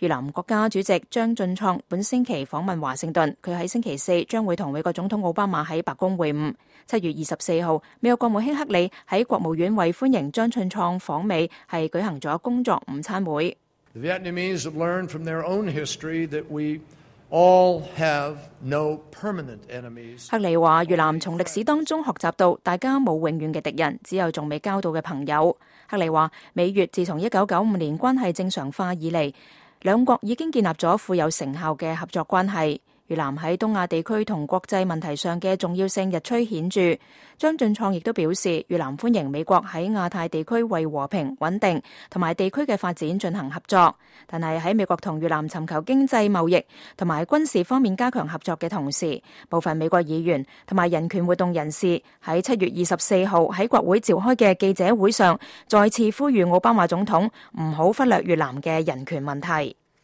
越南國家主席張俊創本星期訪問華盛頓，佢喺星期四將會同美國總統奧巴馬喺白宮會晤。7月24號，美國國務卿克里喺國務院為歡迎張俊創訪美，係舉行咗工作午餐會。The Vietnamese have learned from their own history that we all have no permanent enemies. 克里話：越南從歷史當中學習到，大家冇永遠嘅敵人，只有仲未交到嘅朋友。克里話：美越自從1995年關係正常化以嚟，兩國已經建立咗富有成效嘅合作關係。越南喺東亞地區同國際問題上嘅重要性日趨顯著。張俊創亦都表示，越南歡迎美國喺亞太地區為和平、穩定同埋地區嘅發展進行合作，但係喺美國同越南尋求經濟貿易同埋軍事方面加強合作嘅同時，部分美國議員同埋人權活動人士喺7月24號喺國會召開嘅記者會上，再次呼籲奧巴馬總統唔好忽略越南嘅人權問題。